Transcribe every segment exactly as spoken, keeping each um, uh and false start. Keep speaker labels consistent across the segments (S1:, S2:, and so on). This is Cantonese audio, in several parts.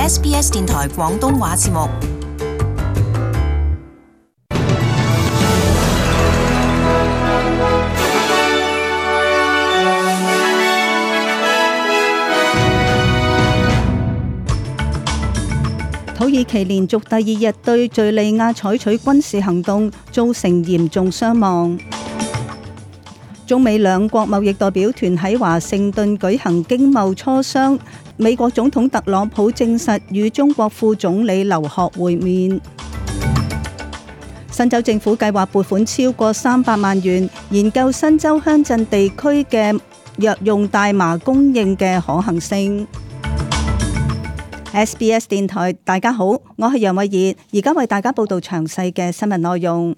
S1: S B S 電台廣東話節目。
S2: 土耳其連續第二日對敘利亞採取軍事行動，造成嚴重傷亡。中美兩國貿易代表團喺華盛頓舉行經貿磋商，美國總統特朗普證實與中國副總理劉鶴會面。新州政府計劃撥款超過三百萬元，研究新州鄉鎮地區嘅藥用大麻供應嘅可行性。S B S 電台，大家好，我係楊慧儀，而家為大家報道詳細嘅新聞內容。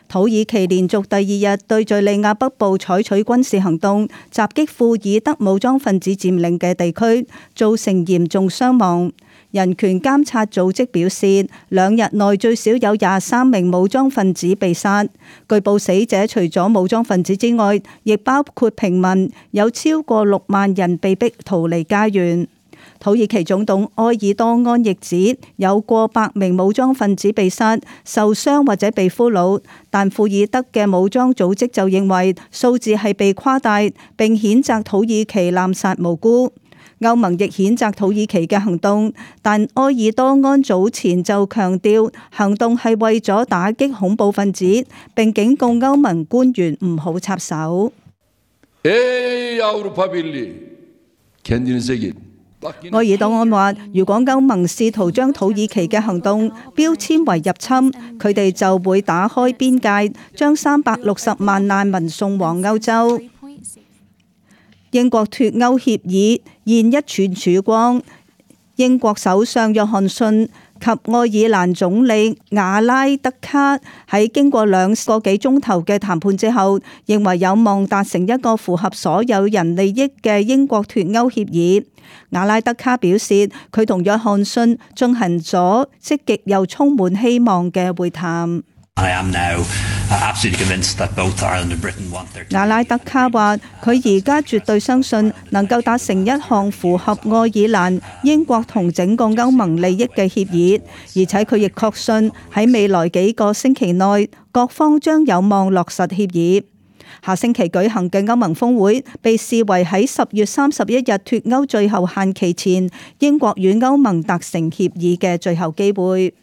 S2: 土耳其連續第二日對敘利亞北部採取軍事行動，襲擊庫爾德武裝分子佔領嘅地區，造成嚴重傷亡。人權監察組織表示，兩日內最少有廿三名武裝分子被殺。據報死者除咗武裝分子之外，亦包括平民，有超過六萬人被逼逃離家園。土耳其總統埃爾多安亦指有過百名武裝分子被殺、受傷或者被俘虜，但庫爾德嘅武裝組織就認為數字係被誇大，並譴責土耳其濫殺無辜。歐盟亦譴責土耳其嘅行動，但埃爾多安早前就強調行動係為咗打擊恐怖分子，並警告歐盟官員唔好插手。埃爾多安話：如果歐盟試圖將土耳其嘅行動標籤為入侵，佢哋就會打開邊界，將三百六十萬難民送往歐洲。英國脫歐協議現一寸曙光，英國首相約翰遜及愛爾蘭總理瓦拉德卡喺經過兩個幾鐘頭嘅談判之後，認為有望達成一個符合所有人利益嘅英國脫歐協議。瓦拉德卡表示，佢同約翰遜進行咗積極又充滿希望嘅會談。瓦拉德卡話：佢而家絕對相信能夠達成一項符合愛爾蘭、英國同整個歐盟利益嘅協議，而且佢亦確信喺未來幾個星期內，各方將有望落實協議。下星期舉行嘅歐盟峰會被視為喺十月三十一日脫歐最後限期前，英國與歐盟達成協議嘅最後機會。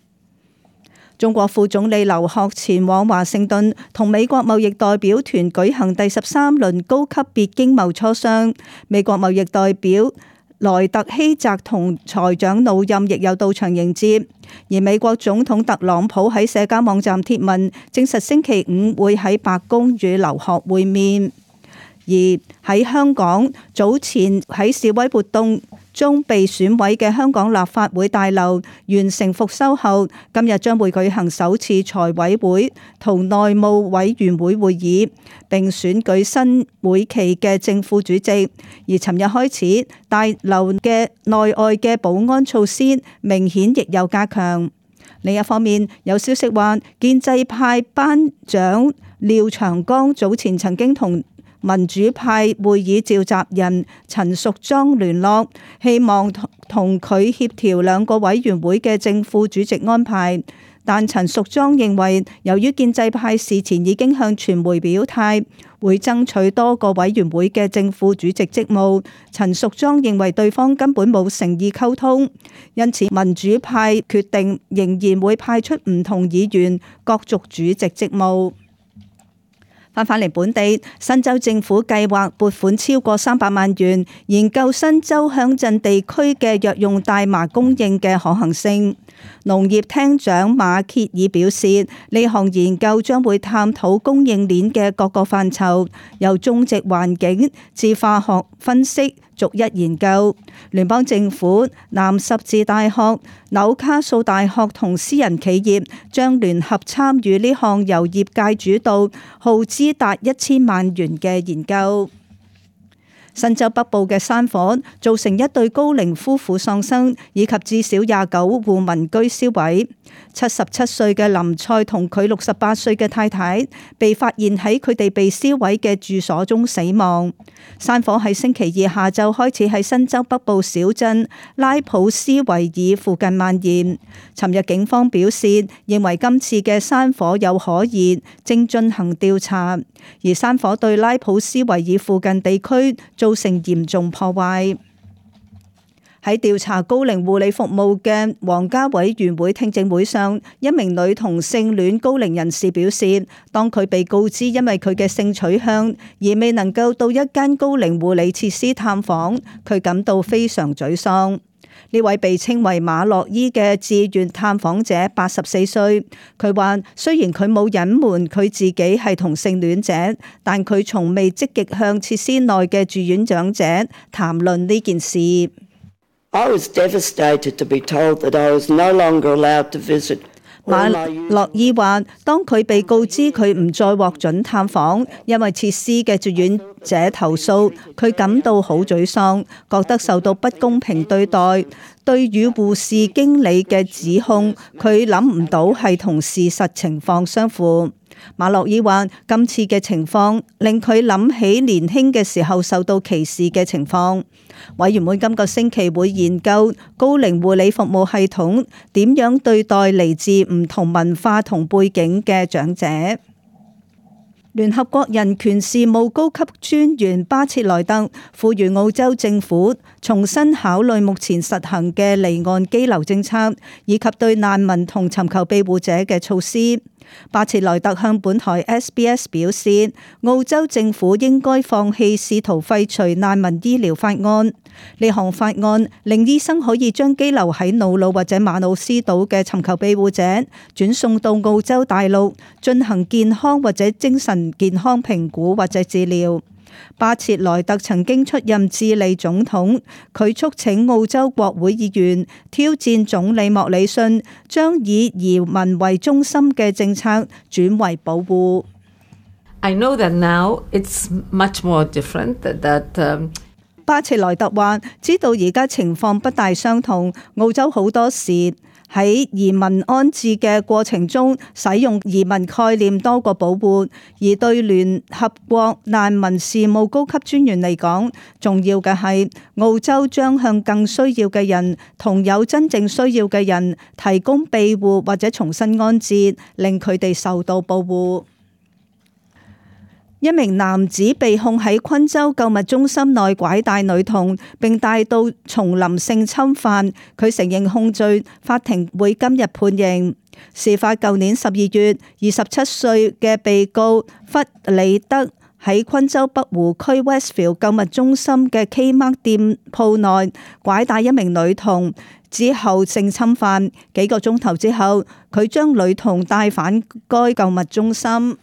S2: 中國副總理劉鶴前往華盛頓同美國貿易代表團舉行第十三輪高級別經貿磋商，美國貿易代表萊特希澤同財長努任亦有到場迎接，而美國總統特朗普喺社交網站貼文證實星期五會喺白宮與劉鶴會面。而喺香港，早前喺示威活動中被損毀嘅香港立法會大樓完成復修後，今日將會舉行首次財委會同內務委員會會議，並選舉新會期嘅正副主席。而尋日開始，大樓嘅內外嘅保安措施明顯亦有加強。另一方面，有消息話，建制派班長廖長江早前曾經同民主派會議召集人陳淑莊聯絡，希望同佢協調兩個委員會嘅正副主席安排。但陳淑莊認為，由於建制派事前已經向傳媒表態，會爭取多個委員會嘅正副主席職務，陳淑莊認為對方根本冇誠意溝通，因此民主派決定仍然會派出唔同議員角逐主席職務。翻返嚟本地，新州政府計劃撥款超過三百萬元，研究新州鄉鎮地區嘅藥用大麻供應嘅可行性。農業廳長馬歇爾表示，呢項研究將會探討供應鏈嘅各個範疇，由種植環境至化學分析，逐一研究。聯邦政府、南十字大學、紐卡素大學同私人企業將聯合參與呢項由業界主導、耗資達一千萬元嘅研究。新州北部嘅山火造成一對高齡夫婦喪生，以及至少廿九戶民居燒毀。七十七歲嘅林賽同佢六十八歲嘅太太被發現喺佢哋被燒毀嘅住所中死亡。山火喺星期二下晝開始喺新州北部小鎮拉普斯維爾附近蔓延。尋日警方表示，認為今次嘅山火有可疑，正進行調查。而山火對拉普斯維爾附近地區造成嚴重破壞。喺調查高齡護理服務嘅皇家委員會聽證會上，一名女同性戀高齡人士表示，當佢被告知因為佢嘅性取向而未能夠到一間高齡護理設施探訪，佢感到非常沮喪。呢位被稱為馬洛伊嘅志願探訪者八十四歲，佢話雖然佢冇隱瞞佢自己係同性戀者，但佢從未積極向設施內嘅住院長者談論呢件事。
S3: I was devastated to be told that I was no longer allowed to visit.
S2: 馬洛伊話，當佢被告知佢唔再獲准探訪，因為設施嘅住院者投訴，佢感到好沮喪，覺得受到不公平對待。對與護士經理嘅指控，佢諗唔到係同事實情況相符。馬洛伊話，今次嘅情況令佢諗起年輕嘅時候受到歧視嘅情況。委員會今個星期會研究高齡護理服務系統點樣對待嚟自唔同文化同背景嘅長者。聯合國人權事務高級專員巴切萊特呼籲澳洲政府重新考慮目前實行嘅離岸羈留政策，以及對難民同尋求庇護者嘅措施。巴切萊特向本台 S B S 表示，澳洲政府應該放棄試圖廢除難民醫療法案。呢項法案令醫生可以將羈留喺瑙魯或者馬魯斯島嘅尋求庇護者轉送到澳洲大陸進行健康或者精神健康評估或者治療。巴切萊特曾經出任智利總統，佢促請澳洲國會議員挑戰總理莫里遜，將以移民為中心嘅政策轉為保護。
S4: I know that now it's much more different that, um
S2: 巴切萊特話：知道而家情況不大相同，澳洲好多時喺移民安置嘅過程中使用移民概念多過保護，而對聯合國難民事務高級專員嚟講，重要嘅係澳洲將向更需要嘅人同有真正需要嘅人提供庇護或者重新安置，令佢哋受到保護。一名男子被控喺昆州購物中心內拐帶女童並帶到叢林性侵犯，佢承認控罪，法庭會今日判刑。事發舊年十二月，二十七歲嘅被告弗里德喺昆州北湖區 Westfield 購物中心嘅 Kmart 店鋪內拐帶一名女童之後性侵犯，幾個鐘頭之後，佢將女童帶返該購物中心。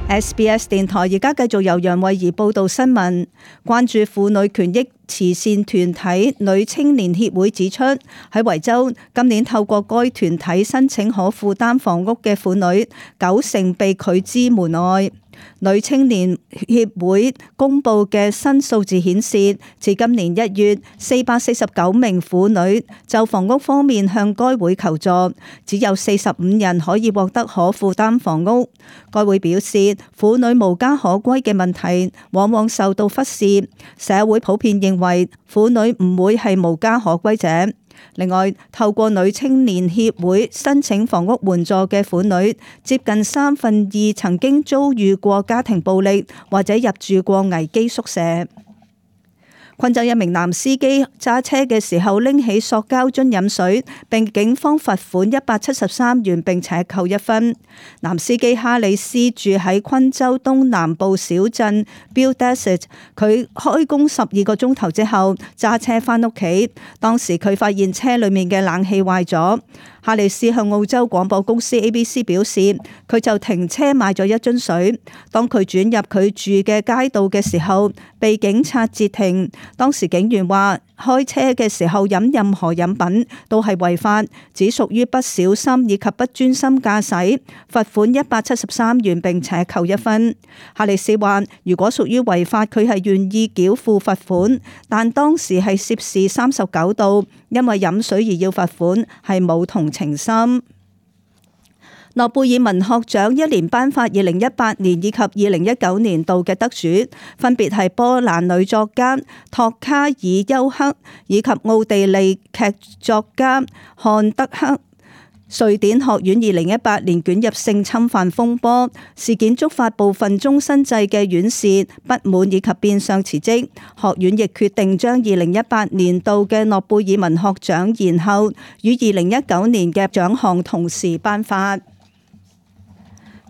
S2: S B S 電台而家繼續由楊慧儀報道新聞。關注婦女權益慈善團體女青年協會指出，喺維州今年透過該團體申請可負擔房屋嘅婦女，九成被拒之門外。女青年協會公布嘅新數字顯示，至今年一月，四百四十九名婦女就房屋方面向該會求助，只有四十五人可以獲得可負擔房屋。該會表示，婦女無家可歸嘅問題往往受到忽視，社會普遍認為婦女唔會係無家可歸者。另外，透過女青年協會申請房屋援助嘅婦女，接近三分二曾經遭遇過家庭暴力或者入住過危機宿舍。昆州一名男司機揸車嘅時候拎起塑膠樽飲水，並警方罰款一百七十三元並且扣一分。男司機哈里斯住喺昆州東南部小鎮 Beaudesert， 佢開工十二個鐘頭之後揸車返屋企，當時佢發現車裡面嘅冷氣壞咗。哈里斯向澳洲廣播公司 A B C 表示，佢就停車買咗一樽水。當佢轉入佢住嘅街道嘅時候，被被警察截停。當時警員話，開車嘅時候飲任何飲品都係違法，只屬於不小心以及不專心駕駛，罰款一百七十三元並且扣一分。哈里斯話，如果屬於違法，佢係願意繳付罰款，但當時係攝氏三十九度，因為飲水而要罰款係冇同情心。諾貝爾文學獎一連頒發二零一八年以及二零一九年度嘅得主，分別係波蘭女作家托卡爾丘克以及奧地利劇作家漢德克。瑞典學院二零一八年捲入性侵犯風波事件，觸發部分終身制嘅院士不滿以及變相辭職。學院亦決定將二零一八年度嘅諾貝爾文學獎延後，與二零一九年嘅獎項同時頒發。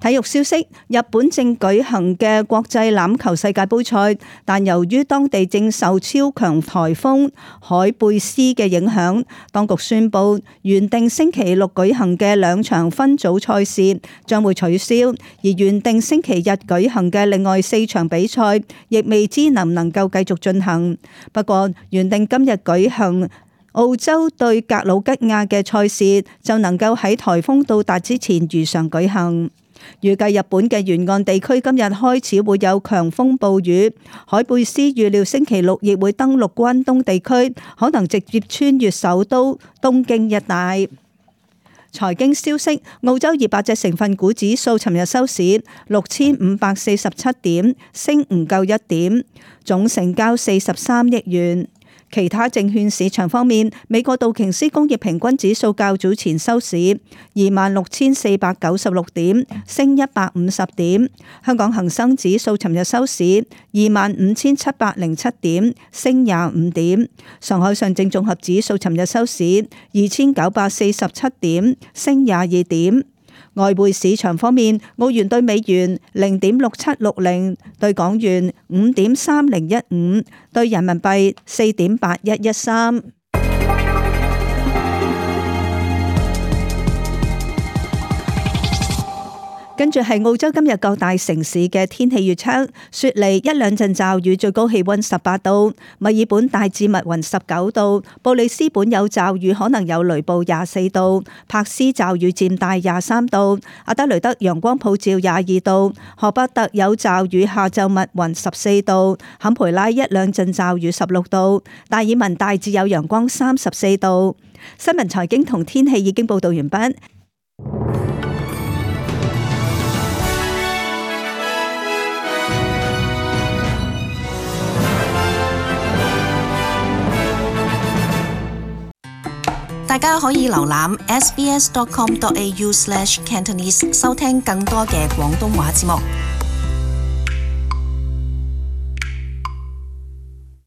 S2: 體育消息：日本正舉行嘅國際欖球世界盃賽，但由於當地正受超強颱風海貝斯嘅影響，當局宣布原定星期六舉行嘅兩場分組賽事將會取消，而原定星期日舉行嘅另外四場比賽亦未知能唔能夠繼續進行。不過，原定今日舉行澳洲對格魯吉亞嘅賽事就能夠喺颱風到達之前如常舉行。預計日本嘅沿岸地區今日開始會有強風暴雨，海貝斯預料星期六亦會登陸關東地區，可能直接穿越首都東京一帶。財經消息：澳洲二百隻成分股指數尋日收市六千五百四十七點，升唔夠一點，總成交四十三億元。其他證券市場方面，美國道瓊斯工業平均指數較早前收市二萬六千四百九十六點，升一百五十點。香港恒生指數尋日收市二萬五千七百零七點，升廿五點。上海上證綜合指數尋日收市二千九百四十七點，升廿二點。外匯市場方面，澳元對美元零點六七六零，對港元五點三零一五，對人民幣四點八一一三。跟住係澳洲今日各大城市嘅天氣預測：雪梨一兩陣驟雨，最高氣溫十八度；墨爾本大致密雲十九度；布里斯本有驟雨，可能有雷暴廿四度；柏斯驟雨漸大廿三度；阿德雷德陽光普照廿二度；荷伯特有驟雨，下晝密雲十四度；坎培拉一兩陣驟雨十六度；達爾文大致有陽光三十四度。新聞財經同天氣已經報道完畢。
S1: 大家可以瀏覽 s b s dot com dot a u slash cantonese 收聽更多嘅廣東話節目。